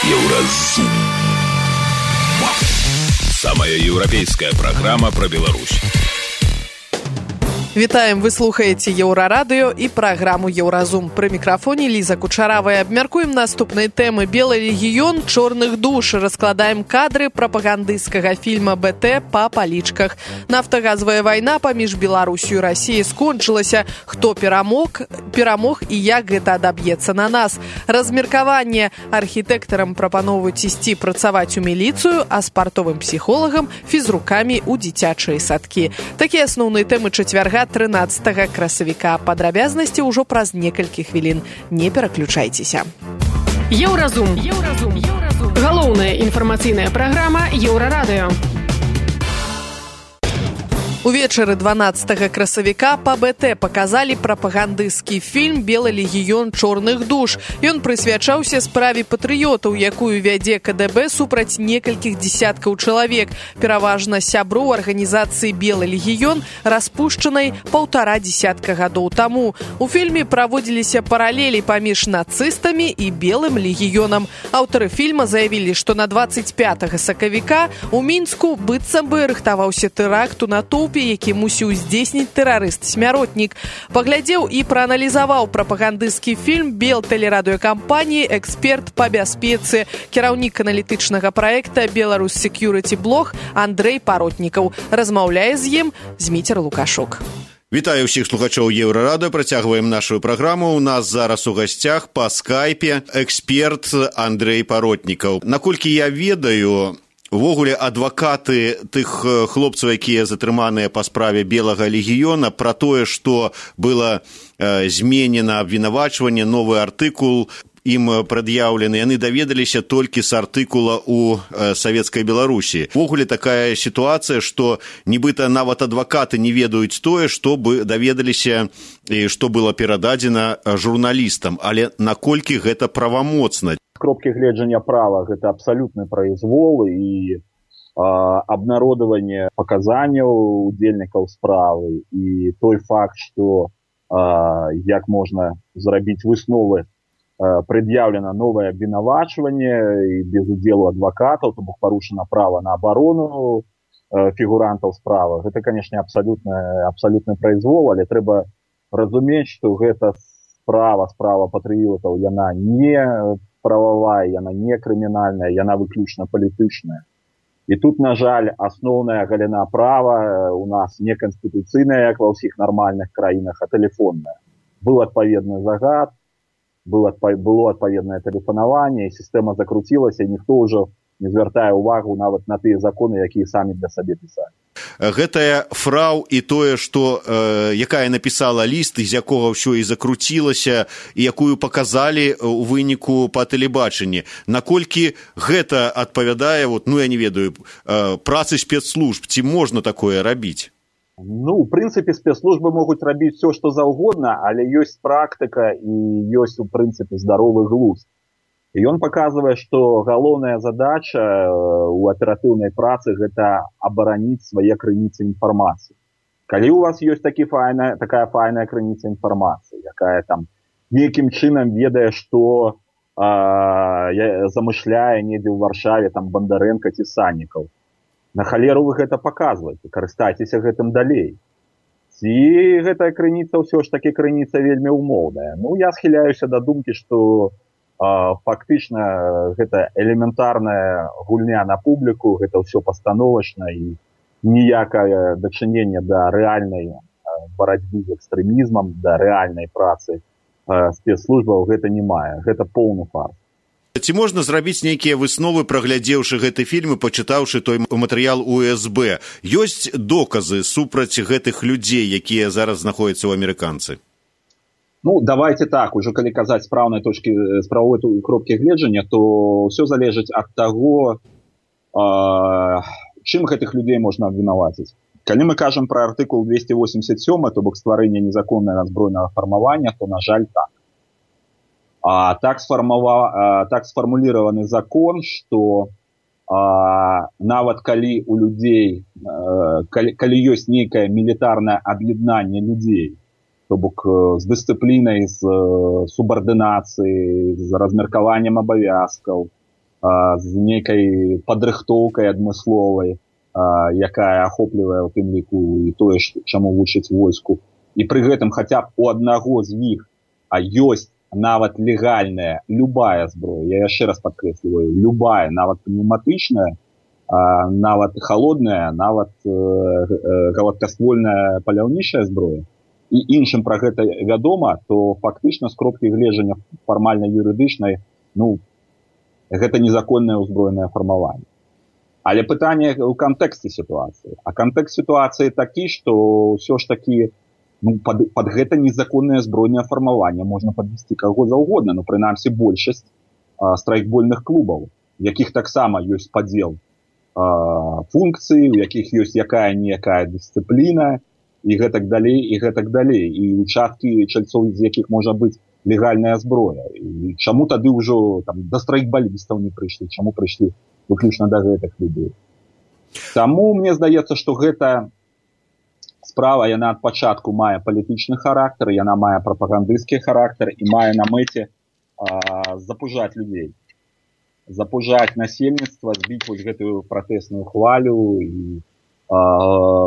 Еўразум. Самая еўрапейская программа про Беларусь. Вітаем, вы слухаеце Еўрарадыё і праграму Еўразум. Пры мікрафоне Ліза Кучаравая. Абмяркуем наступныя тэмы. Белы легіён чорных душ. Раскладаем кадры прапагандысцкага фільма БТ па палічках. Нафтагазавая вайна паміж Беларусью і Расіяй скончылася. Хто перамог і як гэта адаб'ецца на нас. Размеркаванне. Архітэктарам прапаноўваюць ісці працаваць у міліцыю, а спартовым псіхолагам фізрукамі ў дзіцячыя садкі. Такія асноўныя тэмы чацвярга 13 красавіка. Падрабязнасці ўжо праз некалькі хвілін. Не пераключайцеся. Еўразум. Галоўная інфармацыйная праграма Еўрарадыё. Увечары 12 красавіка па БТ паказалі прапагандысцкі фільм «Белы легіён чорных душ». Ён прысвячаўся справе патрыётаў, якую вядзе КДБ супраць некалькіх дзесяткаў чалавек, пераважна сяброў арганізацыі «Белы легіён», распушчанай 1,5 дзесятка гадоў таму. У фільме праводзіліся паралелі паміж нацыстамі і «Белым легіёнам». Аўтары фільма заявілі, што на 25 сакавіка у Мінску быццам бы рыхтаваўся тэракт у натоўпе, які мусіў здзейсніць тэрарыст-смяротнік. Паглядзеў і прааналізаваў прапагандысцкі фільм Белтэлерадыёкампаніі эксперт па бяспецы, кіраўнік аналітычнага праекта «Беларусь Security Blog» Андрэй Паротнікаў. Размаўляе з ім Зміцер Лукашук. Вітаю ўсіх слухачоў Еўрарадыё. Працягваем нашу праграму. У нас зараз у гасцях па скайпе эксперт Андрэй Паротнікаў. Наколькі я ведаю, увогуле адвакаты тых хлопцаў, якія затрыманыя па справе Белага легіёна, пра тое, што было зменена абвінавачванне, новы артыкул ім прад'яўлены, яны даведаліся толькі з артыкула ў Савецкай Беларусі. Увогуле такая сітуацыя, што нібыта нават адвакаты не ведаюць тое, што бы даведаліся і што было перададзена журналістам. Але наколькі гэта правамоцна? Кропкі гледжання права гэта абсалютны праізвол і абнародаванне паказанняў удзельнікаў справы і той факт, што як можна зрабіць высновы, прад'яўлена новае абвінавачванне і без удзелу адвакатаў, то бок парушана права на абарону фігурантаў справы. Гэта, канешне, абсалютны праізвол, але трэба разумець, што гэта справа патрыётаў, яна не прававая, яна не крымінальная, яна выключна палітычная. І тут, на жаль, асноўная галіна права у нас не канстытуцыйная, як ва ўсіх нармальных краінах, а тэлефонная. Быў адпаведны загад, было адпаведнае тэлефанаванне, і сістэма закруцілася, і ніхто ўжо не звяртае ўвагу нават на тыя законы, якія самі для сабе пісалі. Гэтая фрау і тое, што якая напісала ліст, з якога ўсё і закруцілася, і якую паказалі ў выніку па тэлебачанні. Наколькі гэта адпавядае, я не ведаю, працы спецслужб, ці можна такое рабіць? У прынцыпе, спецслужбы могуць рабіць все, што заўгодна, але ёсць практыка і ёсць, у прынцыпе, здаровы глузд. І ён паказвае, што галоўная задача ў аператыўнай працы гэта абараніць свае крыніцы інфармацыі. Калі у вас ёсць такая файная крыніца інфармацыі, якая там нейкім чынам ведае, што замышляе недзе ў Варшаве там Бандарэнка ці Саннікаў, на халеру вы гэта паказваеце, карыстайцеся гэтым далей. Ці гэтая крыніца ўсё ж такі крыніца вельмі ўмоўная. Я схіляюся да думкі, што фактычна гэта элементарная гульня на публіку, гэта ўсё пастановачна і ніякае дачынення да рэальнай барацьбы з экстрэмізмам, да рэальнай працы спецслужбаў гэта не мае. Гэта поўны фарс. Ці можна зрабіць нейкія высновы, праглядзеўшы гэты фільм і пачытаўшы той матэрыял УСБ? Ёсць доказы супраць гэтых людзей, якія зараз знаходзяцца ў амерыканцы? Давайте так, уже калі казаць з правовой кропкі гледжання, то ўсё залежыць ад таго, чым гэтых людзей можна абвінаваціць. Калі мы кажам пра артыкул 287, то бок стварэнне незаконнага збройнага фармавання, то, на жаль, так. Так сфармуліраваны закон, што нават калі у людзей, калі ёсць нейкае мілітарнае аб'яднанне людзей, то бок з дысцыплінай, з субардынацыяй, з размеркаваннем абавязкаў, з нейкай падрыхтоўкай адмысловай, якая ахоплівае ў тым ліку і тое, чаму вучыць войску. І пры гэтым хаця б у аднаго з іх ёсць нават легальная любая зброя, я яшчэ раз падкрэсліваю, любая, нават пнеўматычная, нават холодная, нават гладкаствольная паляўнічая зброя, і іншым пра гэта вядома, то фактычна з кропкі гледжання фармальна-юрыдычнай, гэта незаконнае ўзброенае фармаванне. Але пытанне ў кантэксце сітуацыі. А кантэкст сітуацыі такі, што ўсё ж такі пад гэта незаконнае збройнае фармаванне можна падвесці каго заўгодна, прынамсі большасць страйкбольных клубаў, у якіх таксама ёсць падзел функцыі, у якіх ёсць якая-ніякая дысцыпліна, і гэтак далей, і гэтак далей. І участкі чальцоў, з якіх можа быць легальная зброя. І чаму тады ўжо да страйкбалістаў не прыйшлі, чаму прыйшлі выключна да гэтых людзей. Таму мне здаецца, што гэта справа, яна ад пачатку мае палітычны характар, яна мае прапагандысцкі характар і мае на мэце запужаць людзей. Запужаць насельніцтва, збіць вось гэтую пратэсную хвалю і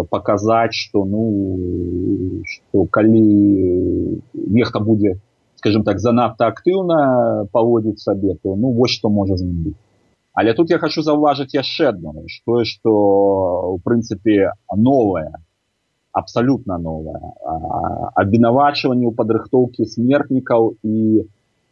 паказаць, што калі нехта будзе, скажем так, занадта актыўна паводзіць сабе, то вось што можа з ім быць. Але тут я хочу заўважыць яшчэ адно, тое, што ў прынцыпе новае, абсалютна новае, абвінавачванне ў падрыхтоўкі смертнікаў і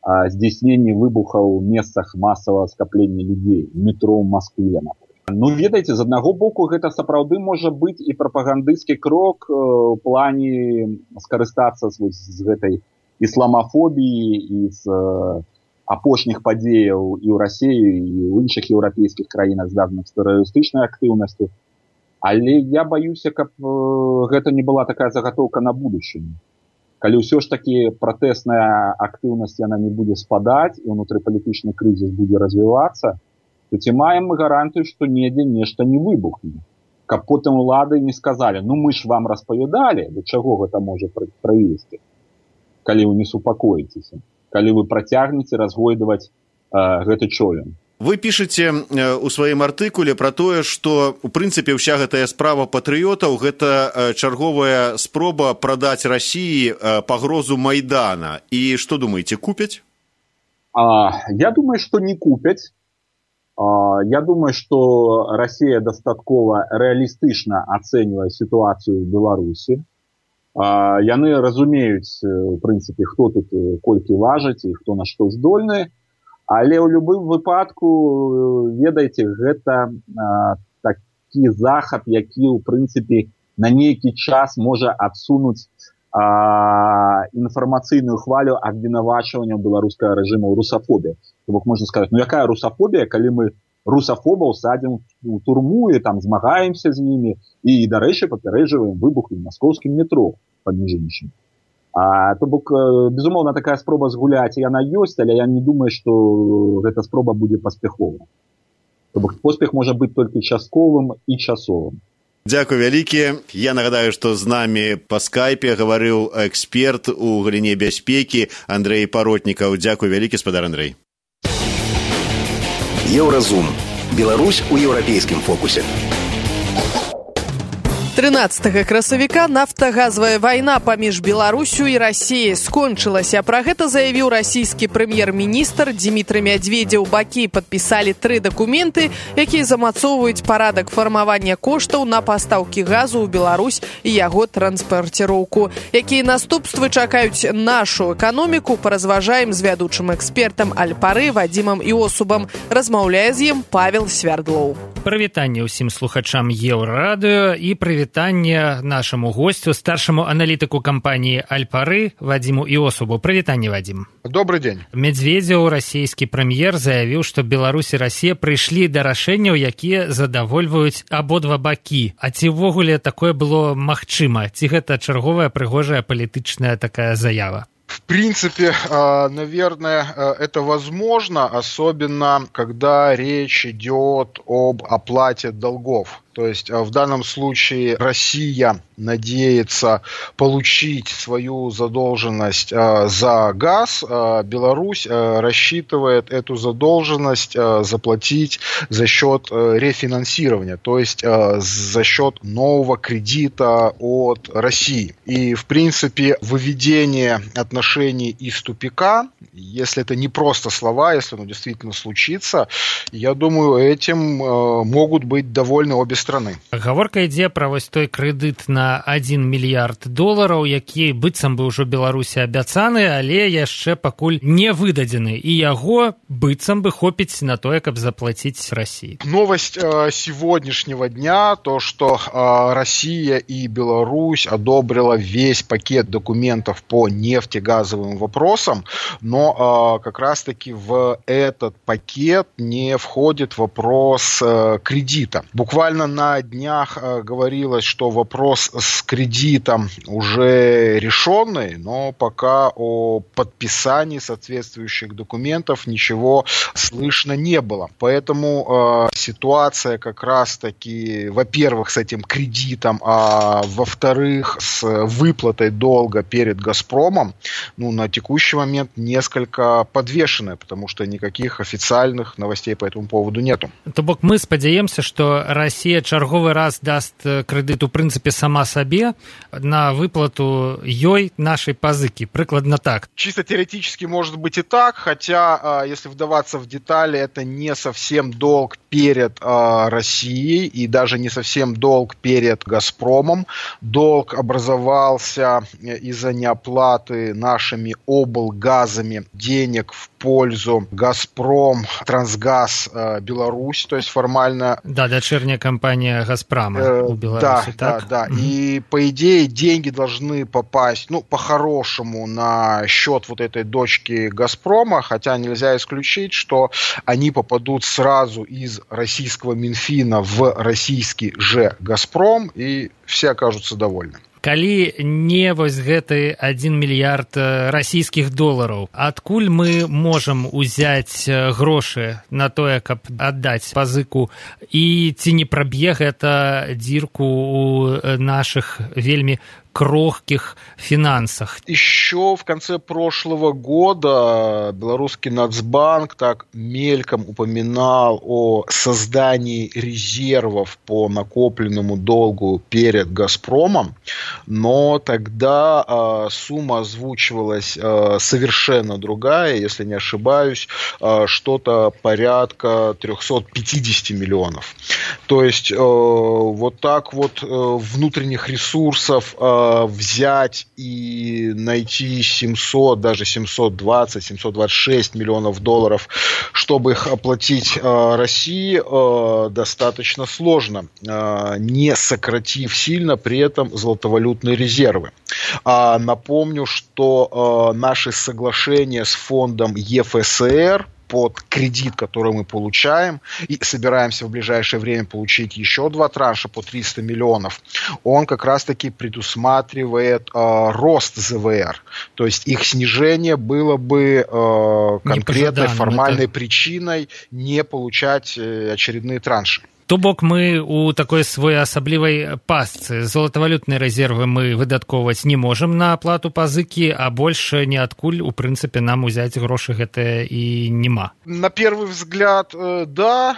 здзейсненні выбухаў у месцах масавага скаплення людзей, метро ў Маскве, напрыклад. Ведаеце, з аднаго боку гэта сапраўды можа бbyć і прапагандысцкі крок у плане скарыстацца з гэтай ісламафобіі і з апошніх падзеяў і ў Расіі, і ў іншых еўрапейскіх краінах, звязаных з тэрарыстычнай актыўнасцю. Але я баюся, каб гэта не была такая загатоўка на будучыню. Калі ўсё ж такі пратэсная актыўнасць яна не будзе спадаць і ўнутрыпалітычны крызіс будзе развівацца, то ці маем мы гарантыю, што недзе нешта не выбухне. Каб потым улады не сказалі, мы ж вам распавядалі, да чаго гэта можа прывесці, калі вы не супакоіцеся, калі вы працягнеце разгойдаваць гэты човен. Вы пішаце ў сваім артыкуле пра тое, што у прынцыпе ўся гэтая справа патрыётаў гэта чарговая спроба прадаць Расіі пагрозу Майдана. І што думаеце, купяць? Я думаю, што не купяць. Я думаю, што Расія дастаткова рэалістычна ацэньвае сітуацыю ў Беларусі. Яны разумеюць, у прынцыпе, хто тут колькі важыць і хто на што здольны. Але ў любым выпадку, ведаеце, гэта такі захад, які, у прынцыпе, на нейкі час можа адсунуць інфармацыйную хвалю абвінавачвання беларускага рэжыму ў русафобіі. То бок можна сказаць, якая русафобія, калі мы русафобаў садзім у турму і там змагаемся з імі і, дарэчы, папярэджваем выбух у маскоўскім метро, паміж іншым. То бок, безумоўна, такая спроба згуляць, яна ёсць, але я не думаю, што гэта спроба будзе паспяховая. То бок, поспех можа быць толькі частковым і часовым. Дзякуй вялікі. Я нагадаю, што з намі па скайпе гаварыў эксперт у галіне бяспекі Андрэй Паротнікаў. Дзякуй вялікі, спадар Андрэй. Еўразум. Беларусь у еўрапейскім фокусе. 13 красавіка нафтагазавая вайна паміж Беларусю і Расіяй скончылася. Пра гэта заявіў расійскі прэм'ер-міністр Дзімітрый Мядзведзеў. Бакі падпісалі 3 дакументы, якія замацоўваюць парадак фармавання коштаў на пастаўкі газу ў Беларусь і яго транспарціроўку. Якія наступствы чакаюць нашу эканоміку, паразважаем з вядучым экспертам Аль-Пары Вадзімам Іосубам. Размаўляе з ім Павел Свярдлоў. Прывітанне ўсім слухачам Еўрарадыё і прывітанне нашаму госцю, старшаму аналітыку кампаніі Аль-Пары Вадзіму Іосубу. Прывітанне, Вадзім. Добрый дзень. Мядзведзеў, расійскі прэм'ер, заявіў, што Беларусь і Расія прыйшлі да рашэнняў, якія задавольваюць абодва бакі. А ці ўвогуле такое было магчыма? Ці гэта чарговая прыгожая палітычная такая заява? В принципе, наверное, это возможно, особенно когда речь идет об оплате долгов. То есть в данном случае Россия надеется получить свою задолженность за газ, Беларусь рассчитывает эту задолженность заплатить за счет рефинансирования, то есть за счет нового кредита от России. И, в принципе, выведение отношений из тупика, если это не просто слова, если оно действительно случится, я думаю, этим могут быть довольны обе страны. Гаворка ідзе пра вось той крэдыт на 1 мільярд долараў, які быццам бы ўжо Беларусі абяцаны, але яшчэ пакуль не выдадзены, і яго быццам бы хопіць на тое, каб заплаціць России. Новость сегодняшнего дня, то, что Россия и Беларусь одобрила весь пакет документов по нефтегазовым вопросам, но как раз-таки в этот пакет не входит вопрос кредита. Буквально на днях говорилось, что вопрос с кредитом уже решенный, но пока о подписании соответствующих документов ничего слышно не было. Поэтому ситуация как раз-таки, во-первых, с этим кредитом, а во-вторых, с выплатой долга перед «Газпромом», на текущий момент несколько подвешенная, потому что никаких официальных новостей по этому поводу нету. То бок мы спадзяемся, што Расія чарговы раз даст крэдыт у прынцыпе сама сабе на выплату ёй нашай пазыкі. Прыкладна так. Чисто теоретически может быть и так, хотя, если вдаваться в детали, это не совсем долг перед Россией и даже не совсем долг перед «Газпромом». Долг образовался из-за неоплаты нашими облгазами денег в пользу «Газпром», «Трансгаз», «Беларусь», то есть формально... Да, дочерняя компания «Газпрома» у Беларуси, так? Да. И, по идее, деньги должны попасть, по-хорошему, на счет вот этой дочки «Газпрома», хотя нельзя исключить, что они попадут сразу из российского Минфина в российский же «Газпром», и все окажутся довольны. Калі не вось гэты 1 мільярд расійскіх долараў, адкуль мы можам узяць грошы на тое, каб аддаць пазыку, і ці не праб'е гэта дзірку ў нашых вельмі крохких финансах? Еще в конце прошлого года белорусский Нацбанк так мельком упоминал о создании резервов по накопленному долгу перед «Газпромом», но тогда сумма озвучивалась совершенно другая, если не ошибаюсь, что-то порядка 350 миллионов. То есть вот так вот внутренних ресурсов взять и найти 700, даже 720, 726 миллионов долларов, чтобы их оплатить России, достаточно сложно, не сократив сильно при этом золотовалютные резервы. Напомню, что наши соглашения с фондом ЕФСР под кредит, который мы получаем, и собираемся в ближайшее время получить еще 2 транша по 300 миллионов, он как раз-таки предусматривает рост ЗВР. То есть их снижение было бы конкретной формальной причиной не получать очередные транши. То бок мы у такой своеасаблівай пастцы. Золотавалютныя рэзервы мы выдаткоўваць не можам на аплату пазыкі, а больше ниадкуль, у прынцыпе, нам узяць грошы гэтыя і нема. На первый взгляд, да,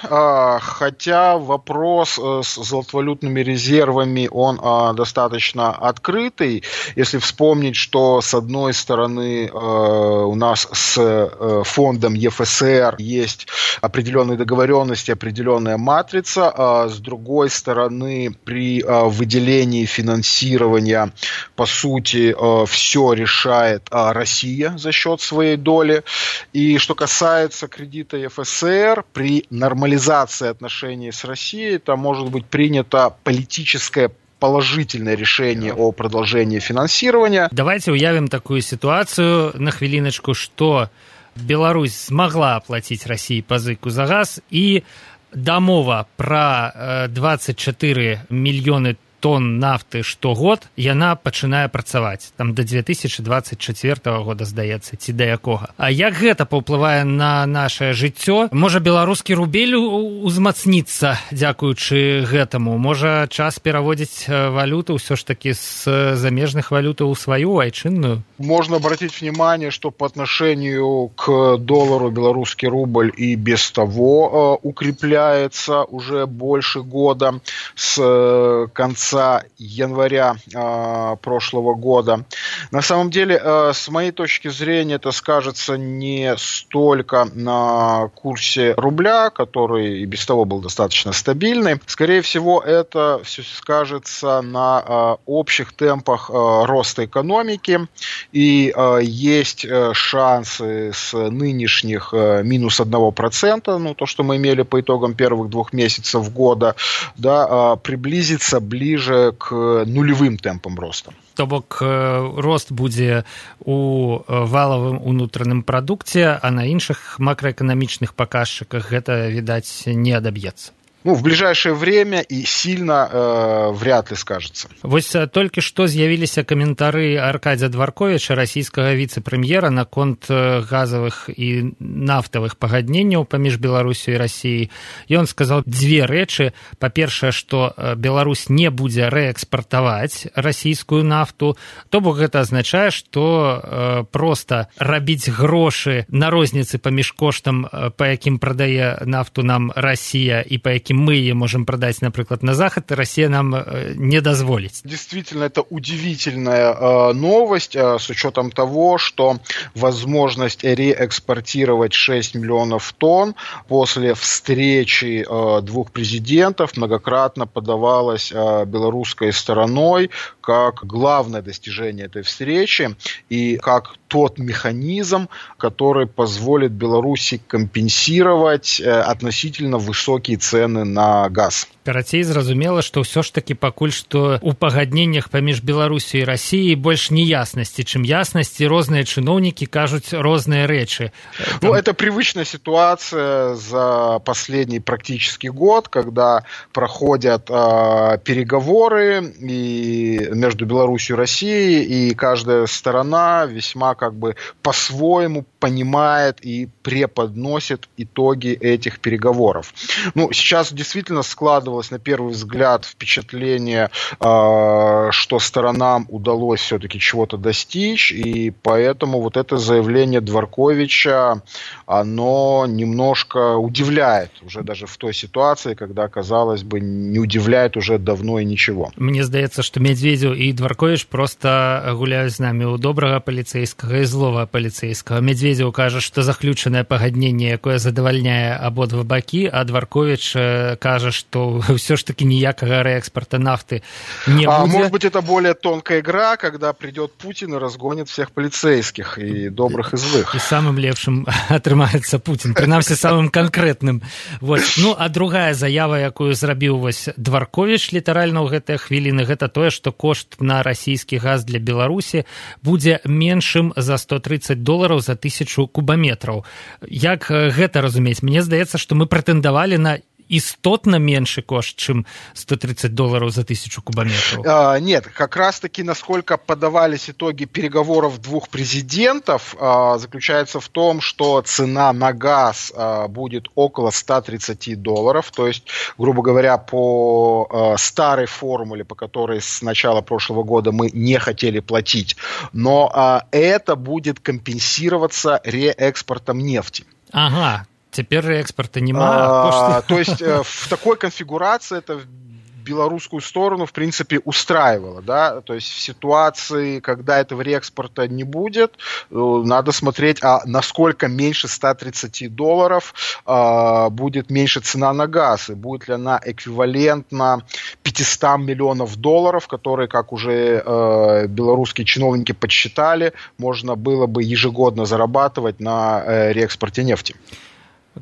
хотя вопрос с золотовалютными резервами, он достаточно открытый. Если вспомнить, что с одной стороны у нас с фондом ЕФСР есть определенные договоренности, определенная матрица, с другой стороны, при выделении финансирования, по сути, все решает Россия за счет своей доли. И что касается кредита ЕФСР, при нормализации отношений с Россией, там может быть принято политическое положительное решение о продолжении финансирования. Давайте уявим такую ситуацию на хвилиночку, что Беларусь смогла оплатить России пазыку за газ, и дамова про 24 мільёны тонн нафты штогод яна пачынае працаваць там до 2024 года, здаецца, ці да якога. А як гэта паўплывае на нашае жыццё? Можа, беларускі рубель узмацніцца дзякуючы гэтаму? Можа, час пераводзіць валюту ўсё ж таки з замежных валютаў у сваю айчынную? Можно обратить внимание, что по отношению к доллару белорусский рубль и без того укрепляется уже больше года, с конца января прошлого года. На самом деле, с моей точки зрения, это скажется не столько на курсе рубля, который и без того был достаточно стабильный. Скорее всего, это все скажется на общих темпах роста экономики. И есть шансы с нынешних минус 1%, ну, то, что мы имели по итогам первых 2 месяцев года, да, приблизиться ближе к нулевым темпам роста. То бок рост будзе у валавым унутраным прадукце, а на іншых макраэканамічных паказчыках гэта, відаць, не адаб'ецца. Ну, в ближайшее время и сильно вряд ли скажется. Вось толькі што з'явіліся каментары Аркадзя Дварковіча, расійскага віцэ-прэм'ера, наконт газавых і нафтавых пагадненняў паміж Беларусю і Расіяй. Ён сказаў 2 рэчы. Па-першае, што Беларусь не будзе рээкспартаваць расійскую нафту. То бок гэта азначае, што проста рабіць грошы на розніцы паміж коштам, па якім прадае нафту нам Расія і па якім мы ее можем продать, например, на Захад, и Россия нам не дозволит. Действительно, это удивительная новость с учетом того, что возможность реэкспортировать 6 миллионов тонн после встречи 2 президентов многократно подавалась белорусской стороной как главное достижение этой встречи и как тот механизм, который позволит Беларуси компенсировать относительно высокие цены на газ. Карацей, зразумела, што ўсё ж такі пакуль што ў пагадненнях паміж Беларусю і Расіяй больш неяснасці, чым яснасці. Розныя чыноўнікі кажуць розныя рэчы. Ну, это привычная ситуация за последний практически год, когда проходят переговоры и между Беларусью и Россией, и каждая сторона весьма как бы по-своему понимает и преподносит итоги этих переговоров. Ну, сейчас действительно складывалось на первый взгляд впечатление, что сторонам удалось все-таки чего-то достичь, и поэтому вот это заявление Дварковича, оно немножко удивляет уже даже в той ситуации, когда, казалось бы, не удивляет уже давно и ничего. Мне здаецца, што Медведзеў і Дваркович просто гуляюць з намі ў добрага паліцэйскага і злога паліцэйскага. Медведзеў кажа, што заключанае пагадненне, якое задавальняе абодва бакі, а Дваркович кажа, што все ж таки ніякага реэкспорта нафты не будет. Может быть, это более тонкая игра, когда придет Путин и разгонит всех полицейских, и добрых, и злых. И самым лепшим атрымаецца Путин, прынамсі самым конкретным. Вот. Ну, а другая заява, якую зрабіў вось Дваркович літаральна ў гэтыя хвіліны, гэта тое, што кошт на расійскі газ для Беларусі будзе меншым за $130 за 1000 кубаметраў. Як гэта разумець? Мне здаецца, што мы прэтэндавалі на істотно меньше кошт, чем $130 за 1000 кубометров? Нет, как раз-таки, насколько подавались итоги переговоров 2 президентов, заключается в том, что цена на газ будет около $130, то есть, грубо говоря, по старой формуле, по которой с начала прошлого года мы не хотели платить, но это будет компенсироваться реэкспортом нефти. Ага. Теперь экспорта нема. То есть в такой конфигурации это белорусскую сторону, в принципе, устраивало, да, то есть в ситуации, когда этого реэкспорта не будет, надо смотреть, насколько меньше $130 будет меньше цена на газ, и будет ли она эквивалентна $500 миллионов, которые, как уже белорусские чиновники подсчитали, можно было бы ежегодно зарабатывать на реэкспорте нефти.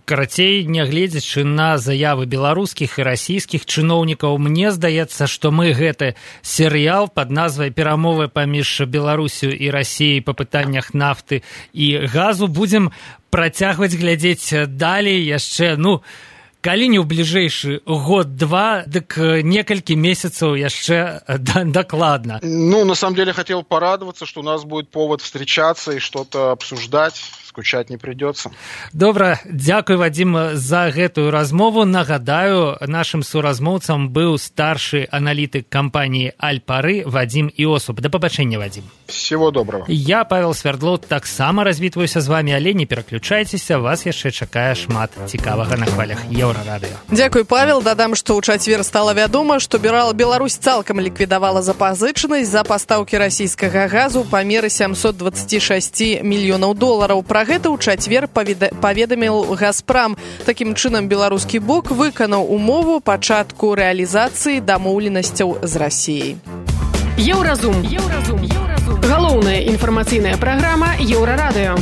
Карацей, нягледзячы на заявы беларускіх і расійскіх чыноўнікаў, мне здаецца, што мы гэты серыял пад назвай «Перамовы паміж Беларусю і Расіяй па пытаннях нафты і газу» будзем працягваць глядзець далей яшчэ, Калі не ў бліжэйшы год-два, дык некалькі месяцаў яшчэ докладно. Ну, на самом деле, хотел порадоваться, что у нас будет повод встречаться и что-то обсуждать. Скучать не придется. Добра, дзякуй, Вадим, за гэтую размову. Нагадаю, нашым суразмоўцам быў старшы аналітык кампаніі Альпары Вадим Іосуп. Да пабачэння, Вадим. Всего доброго. Я, Павел Свердлоў, таксама развітваюся з вами, але не пераключайцеся, вас яшчэ чакае шмат цікавага на хвалях Еўрарадыё. Дзякуй, Павел. Дадам, што ў чацвер стала вядома, што Беларусь цалкам ліквідавала запазычанасць за пастаўкі расійскага газу ў памеры $726 мільёнаў. Пра гэта ў чацвер паведаміў Газпрам. Такім чынам, беларускі бок выканаў умову пачатку рэалізацыі дамоўленасцяў з Расіяй. Еўразум. Галоўная інфармацыйная праграма Еўрарадыё.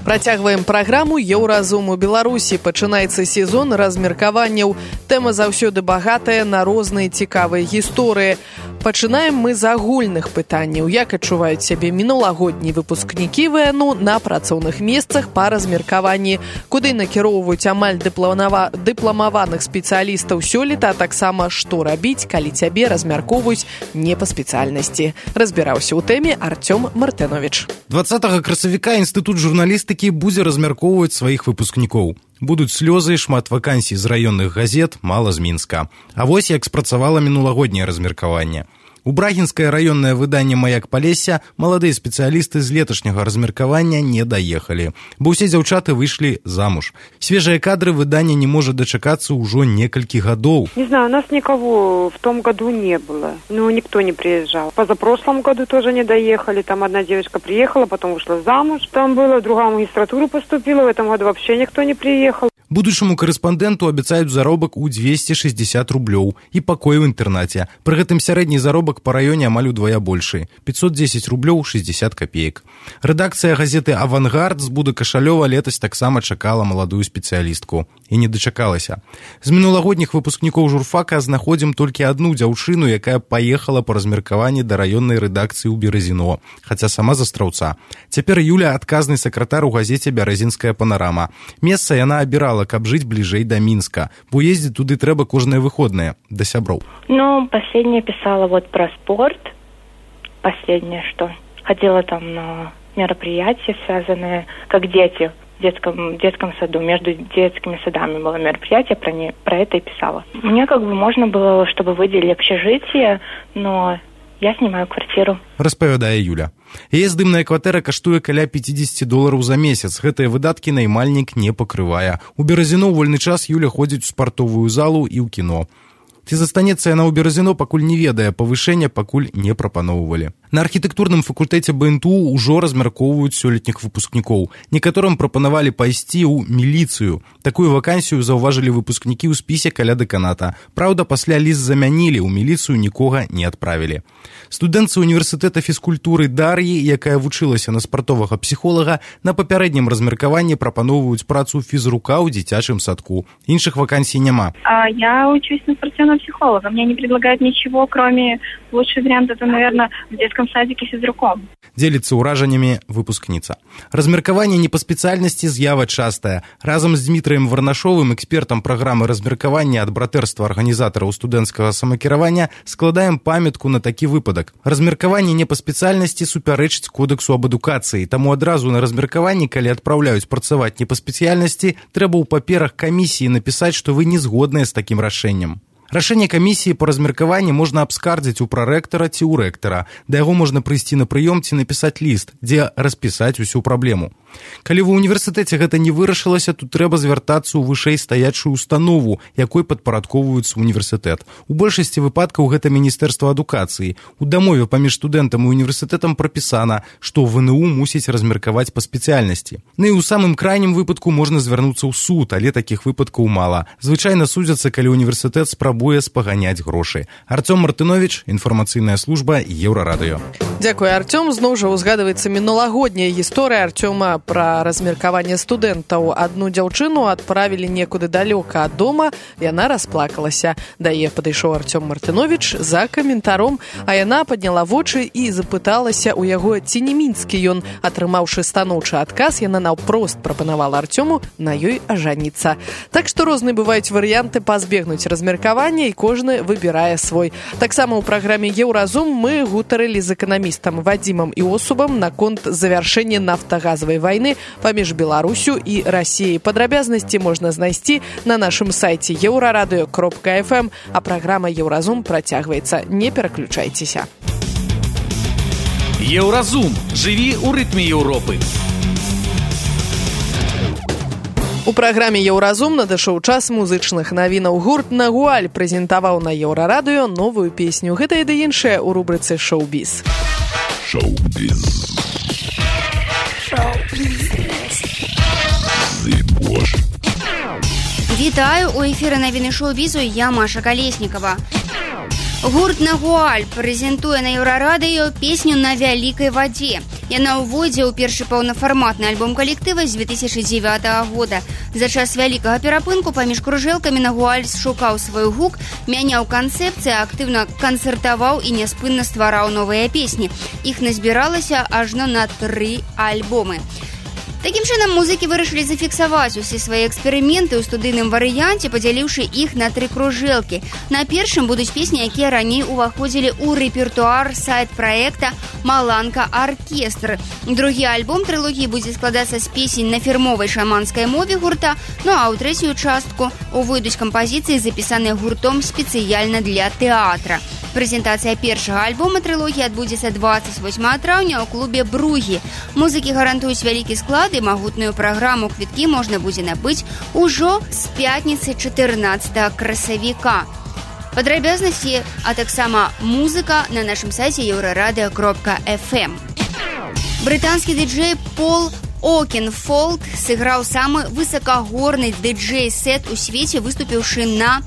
Працягваем праграму «Еўразум». У Беларусі пачынаецца сезон размеркаванняў. Тэма заўсёды багатая на розныя цікавыя гісторыі. Пачынаем мы з агульных пытанняў. Як адчуваюць сябе мінулагоднія выпускнікі ВНУ на працоўных месцах па размеркаванні, куды накіроўваюць амаль дыпламаваных спецыялістаў сёлета, а таксама што рабіць, калі цябе размяркоўваюць не па спецыяльнасці. Разбіраўся ў тэме Артём Мартынович. 20 красавіка Інстытут журналістыкі будзе размяркоўваць сваіх выпускнікоў. Будуць слёзы, шмат вакансій з раённых газет, мала з Мінска. А вось як спрацавала мінулагодняе размеркаванне. У брагінскае раённае выданне «Маяк Палесся» маладыя спецыялісты з леташняга размеркавання не даехалі, бо ўсе дзяўчаты выйшлі замуж. Свежыя кадры выдання не можа дачакацца ўжо некалькі гадоў. Не знаю, у нас никого в том году не было. Ну, никто не приезжал. Позапрошлом году тоже не доехали. Там одна девочка приехала, потом вышла замуж. Там было, другая в магистратуру поступила. В этом году вообще никто не приехал. Будучаму карэспандэнту абяцаюць заробак у 260 рублёў і пакой у інтэрнаце. Пры гэтым сярэдні заробак па раёне амаль удвая большы – 510 рублёў 60 копеек. Рэдакцыя газеты «Авангард» з Буды Кашалёва летась таксама чакала маладую спецыялістку. І не дачакалася. З мінулагодніх выпускнікоў журфака знаходзім толькі адну дзяўчыну, якая паехала па размеркаванні да раённай рэдакцыі ў Беразіно, хаця сама з Астраўца. Цяпер Юля – адказны сакратар у газеце «Бяразінская панарама». Месца яна абірала, каб жыць бліжэй да Мінска, бо ездзіць туды трэба кожныя выходныя, да сяброў. Ну, последнее писала вот про спорт. Последнее, что ходила там на мероприятия, связанные как дети в детском саду. Между детскими садами было мероприятие, про это и писала. Мне как бы можно было, чтобы выделили общежитие, но я снимаю квартиру. Распавядае Юля. Яе здымная кватэра каштуе каля $50 за месяц. Гэтыя выдаткі наймальнік не пакрывае. У Беразіно ў вольны час Юля ходзіць у спартовую залу і ў кіно. Ці застанецца яна ў Беразіно, пакуль не ведае, павышэння пакуль не прапаноўвалі. На архітэктурным факультэце БНТУ ўжо размяркоўваюць сёлетніх выпускнікоў. Некаторым прапанавалі пайсці ў міліцыю. Такую вакансію заўважылі выпускнікі ў спісе каля дэканата. Праўда, пасля ліст замянілі, ў міліцыю нікога не адправілі. Студэнтцы універсітэта фізкультуры Дар'і, якая вучылася на спартовага псіхолага, на папярэднім размеркаванні прапаноўваюць працу фізрука ў дзіцячым садку. Іншых вакансій няма. Я учусь на спортивного психолога. Мне не предлагают ничего, кроме лучший вариант это, наверное, в детском садике физруком. Дзеліцца ўражаннямі выпускніца. Размеркаванне не па спецыяльнасці з'ява частая. Разам з Дмітраем Варнашовым, экспертам праграмы размеркавання ад братэрства арганізатараў студэнцкага самакіравання, складаем памятку на такі выпадак. Размеркаванне не па спецыяльнасці супярэчыць кодэксу аб адукацыі, таму адразу на размеркаванні, калі адпраўляюць працаваць не па спецыяльнасці, трэба ў паперах камісіі напісаць, што вы не згодныя з такім рашэннем. Рашэнне камісіі па размеркаванні можна абскардзіць у прарэктара ці ў рэктара. Да яго можна прыйсці на прыём ці напісаць ліст, дзе распісаць усю праблему. Калі ва ўніверсітэце гэта не вырашылася, тут трэба звяртацца ў вышэй стаячую установу, якой падпарадковваюцца універсітэт. У большасці выпадкаў гэта Міністэрства адукацыі. У дамове паміж студэнтам і універсітэтам прапісана, што ВНУ мусіць размеркаваць па спецыяльнасці. Ну і ў самым крайнім выпадку можна звярнуцца ў суд, але такіх выпадкаў мала. Звычайна судзяцца, калі універсітэт спрабуе спрабуе спаганяць грошы. Артём Мартынович, інфармацыйная служба Еўрарадыё. Дзякуй, Артём. Зноў жа узгадваецца мінулагодняя гісторыя Артёма пра размеркаванне студэнтаў. Адну дзяўчыну адправілі некуды далёка ад дома, яна расплакалася. Да яе падышоў Артём Мартынович за каментаром, а яна падняла вочы і запыталася ў яго, ці не мінскі ён. Атрымаўшы станоўчы адказ, яна наўпрост прапанавала Артёму на ёй ажаніцца. Так што розныя бываюць варыянты пазбегнуць размеркавання, і кожны выбірае свой. Таксама ў праграме «Еўразум» мы гутарылі з эканамістам Вадзімам Іосубам наконт завяршэння нафтагазавай вайны паміж Беларусю і Расіяй. Падрабязнасці можна знайсці на нашым сайце euraradыё.fm, а праграма «Еўразум» працягваецца. Не пераключайцеся. Еўразум. Жыві ў рытме Еўропы. У праграме «Еўразум» надышоў час музычных навінаў. Гурт «Нагуаль» прэзентаваў на Еўрарадыё новую песню. Гэта і да іншае ў рубрыцы «Шоу-біз». Шоу-біз. Вітаю, у эфіры навіны шоу-бізу, я Маша Калеснікава. Гурт «Нагуаль» прэзентуе на Еўрарадыё песню «На вялікай вадзе». Яна ўводзе ў першы паўнафарматны альбом калектыва з 2009 года. За час вялікага перапынку паміж кружэлкамі «Нагуаль» шукаў свой гук, мяняў канцэпцыі, актыўна канцэртаваў і няспынна ствараў новыя песні. Іх назбіралася ажно на 3 альбомы. Такім чынам, музыкі вырашылі зафіксаваць усе свае эксперыменты ў студыйным варыянце, падзяліўшы іх на 3 кружэлкі. На першым будуць песні, якія раней уваходзілі ў рэпертуар сайт-праекта «Маланка Аркестр». Другі альбом трылогіі будзе складацца з песень на фірмовай шаманскай мове гурта, ну а ў трэцюю частку увойдуць кампазіцыі, запісаныя гуртом спецыяльна для тэатра. Прэзентацыя першага альбома трылогіі адбудзецца 28 траўня ў клубе «Бругі». Музыкі гарантуюць вялікі склад і магутную праграму. Квіткі можна будзе набыць ужо з пятніцы 14 красавіка. Падрабязнасці, а таксама музыка на нашым сайце euraradыё.fm. Брытанскі дыджэй Пол Окенфолд сыграў самы высакагорны дыджэй-сет у свеце, выступіўшы на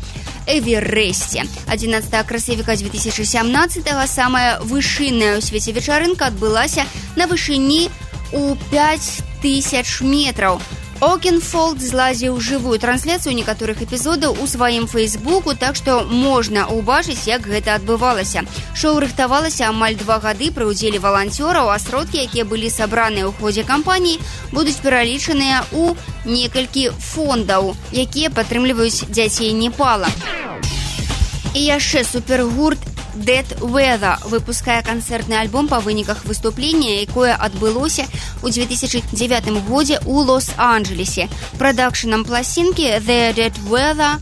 Эвересте. 11 красавіка 2017-го самая вышынная ў свеце вечарынка адбылася на вышыні у 5000 метраў. Окенфолд злазіў жывую трансляцыю некаторых эпізодаў у сваім фейсбуку, так што можна ўбачыць, як гэта адбывалася. Шоу рыхтавалася амаль 2 гады пры ўдзеле валанцёраў, а сродкі, якія былі сабраныя ў ходзе кампаніі, будуць пералічаныя ў некалькі фондаў, якія падтрымліваюць дзяцей Непала. І яшчэ супергурт Dead Weather выпускае канцэртны альбом па выніках выступлення, якое адбылося ў 2009 годзе ў Лос-Анджелесе. Прадакшнам пласінкі The Dead Weather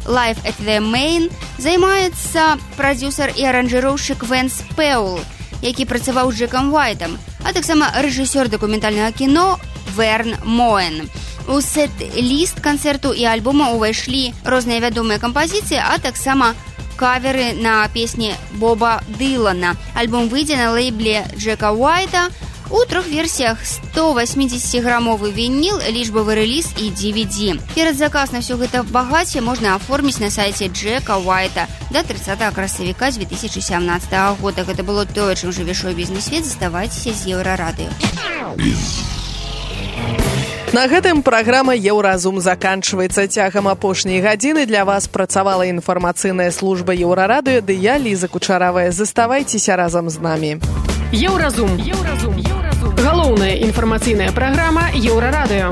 Live at the Main займаецца прадзюсар і аранжыроўшчык Вэнс Пэул, які працаваў з Джекам Уайтам, а таксама рэжысёр дакументальнага кіно Верн Моэн. У сет-ліст канцэрту і альбома ўвайшлі розныя вядомыя кампазіцыі, а таксама каверы на песні Боба Дылана. Альбом выйдзе на лейбле Джека Уайта у 3 версіях: 180-грамовы вініл, лічбавы рэліз і DVD. Перадзаказ на ўсё гэта багацце можна аформіць на сайце Джека Уайта да 30 красавіка 2017 года. Гэта было тое, чым жыве шоу-бізнес-свет. Заставайцеся з Еўрарадыё. На гэтым праграма «Еўразум» заканчваецца. Цягам апошняй гадзіны для вас працавала інфармацыйная служба Еўрарадыё, ды я, Ліза Кучаравая. Заставайцеся разам з намі. Еўразум. Галоўная інфармацыйная праграма Еўрарадыё.